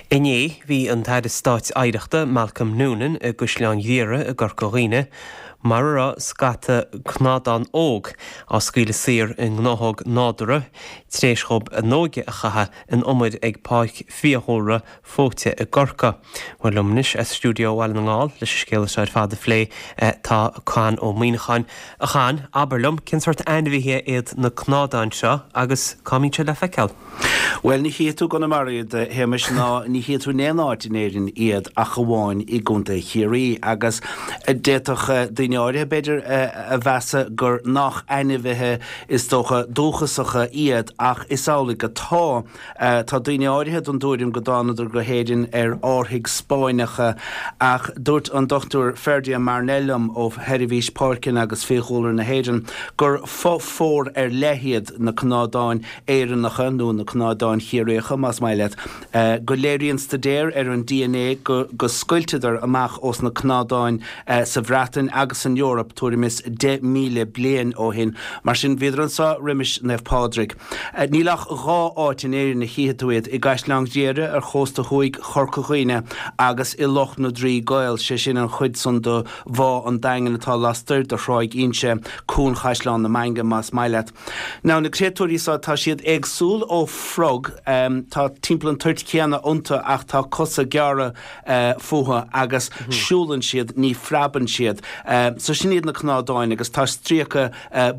Inné, bhí an tAire Stáit Oidhreachta, Malcolm Noonan, i gCaisleán Ghriaire i gCorca Dhuibhne, mar a raibh scata cnadán óg á scaoileadh saor i ngnáthóg nádúrtha tar éis dhóibh a n-óige a chaitheamh in umair ag Páirc Fiadhúlra Fóite i gCorcaigh. Bhuel, liom anois as stiúideo Bhaile na nGall leis an scéal seo ar fad a phlé tá Conn Ó Muíneacháin. A Chonn, abair liom, cén sórt ainmhithe iad na cnádáin seo agus cá mbíonn siad le feiceáil? Bhuel, ní chífidh tú i gConamara iad, a Shéamais, ná ní chífidh tú in aon áit in Éirinn iad ach amháin i gContae Chiarraí. Agus d'fhéadfadh daoine áirithe, b'fhéidir, a mheas gur nach ainmhithe, is dócha, dúchasacha iad, ach is amhlaidh atá. Tá daoine áirithe den dtuairim go dtánadar go hÉirinn ar árthaigh Spáinneacha, ach dúirt an Dr Ferdia Marnell liom ó Sheirbhís Páirceanna agus Fiadhúlra na hÉireann gur fo-phór ar leith iad na cnádáin Éireannacha, nó na cnádáin Chiarraíocha, más maith leat, go léiríonn staidéar ar an dna go go scoilteadar amach ós na cnádáin sa Bhreatain agus san Eoraip tuairim is 10,000 bliain ó shin. Mar sin, bhíodar anso roimis Naomh Pádraig. Níl ach dhá áit in Éirinn a chífidh tú iad, i gCaisleán Ghriaire ar chósta thuaidh Chorca Dhuibhne agus i Loch na dTrí gCaol, sé sin an chuid san de Bhá an Daingin atá lastoir de Thráigh Inse, Cuan Chaisleán na Mainge más maith leat. Now, na créatúirí so, tá siad éagsúil ó frog, tá timpeall an toirt chéanna iontu ach tá cosa gearra fúthu agus siúlann siad, ní phreabann siad. So sin iad na cnádáin agus tá stríoca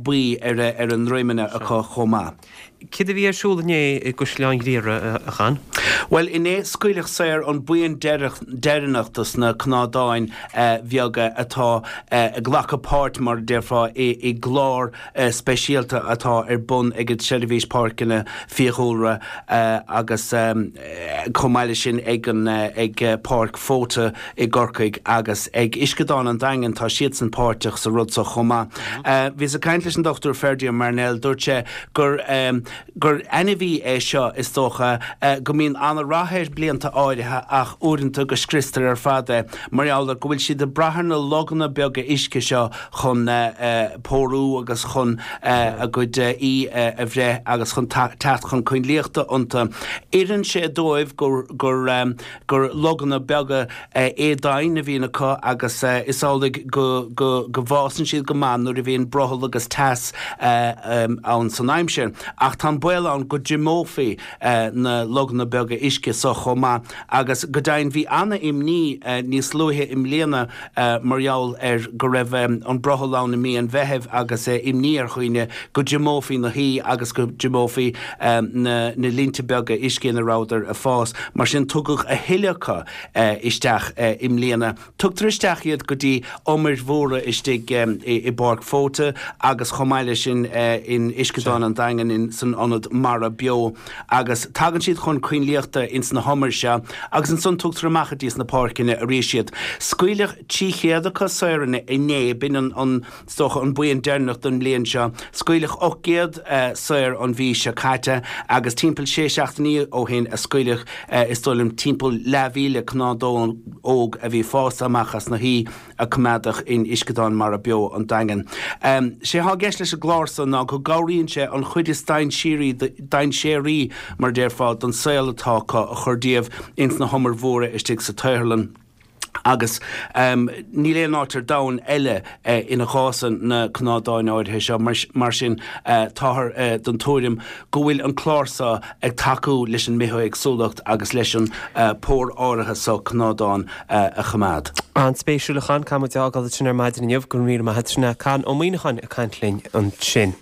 buí ar a ndroimeanna acu chomh maith. Céard a bhí ar siúl inné i gCaisleán Ghriaire, a Chonn? Bhuel, inné scaoileadh saor an buíon deireanach dos na cnádáin bheaga atá ag glacadh páirt, mar a déarfá, i gclár speisialta atá ar bun ag an tSeirbhís Páirceanna Fiadhúlra agus chomh maith leis sin ag an ag Páirc Fóite i gCorcaigh agus ag Uisceadán an Daingin, tá siadsan páirteach sa rud seo chomh maith. Bhíos ag caint leis an Dr Ferdia Marnell, dúirt sé gur gur ainmhí é seo is dócha go mbíonn an-rath air blianta áirithe ach uaireanta go scriostar ar fad é mar gheall ar go bhfuil siad ag brath ar na loganna beaga uisce seo chun pórú agus chun a gcuid aoi a bhreith agus chun teacht chun coinlíochta iontu. Oireann sé dóibh gur gur loganna beaga éadomhain a bhíonn acu agus is amhlaidh go go go bhfásann siad go maith nuair a bhíonn brothall agus teas ann san aimsir. Ach tá an baol ann go dtriomófaí na loganna beaga uisce so chomh maith agus go deimhin bhí ana-imní níos luaithe i mbliana mar gheall ar go raibh an brothall ann i mí an Mheithimh agus imní ar dhaoine go dtriomófaí na haoi agus go dtriomófaí na linnte beaga uisce ina rabhadar ag fás. Mar sin tugadh a thuilleadh acu isteach i mbliana. Tugtar isteach iad go dtí umair mhóra istigh i bPáirc Fóite agus chomh maith leis sin in Uisceadán an Daingin san Ionad Mara Beo agus tagann siad chun coinlíochta ins na humair seo agus ansan tugtar amach go dtí sna páirceanna arís iad. Scaoileadh 300 acu saor inné, b'in an, an, is dócha, an buíon deireanach don mbliain seo. Scaoileadh 800 saor an mhí seo caite agus timpeall sé seachtainí ó shin a scaoileadh, is dóigh liom, timpeall leathmhíle cnádán óg a bhí fásta amach as na haoi a coimeádadh in Uisceadán Mara Beo an Daingin. Sé thá i gceist leis an gclár so ná go gcabhraíonn sé an chuid is dainséaraí, mar a déarfá, don saol atá acu a chur díobh ins na humair mhóra istigh sa tsaotharlann. Agus níl aon áit ar domhan eile ina bhfásann na cnádáin áirithe seo, mar sin táthar den tuairim go bhfuil an clár so ag tacú leis an mbithéagsúlacht agus leis an pór áirithe so cnádán a choimeád. An-spéisiúil a Chonn, caithfidh muid é a fhágáil ansin ar maidin inniu, go raibh míle maith agat, sin é Conn Ó Muíneacháin ag caint linn ansin.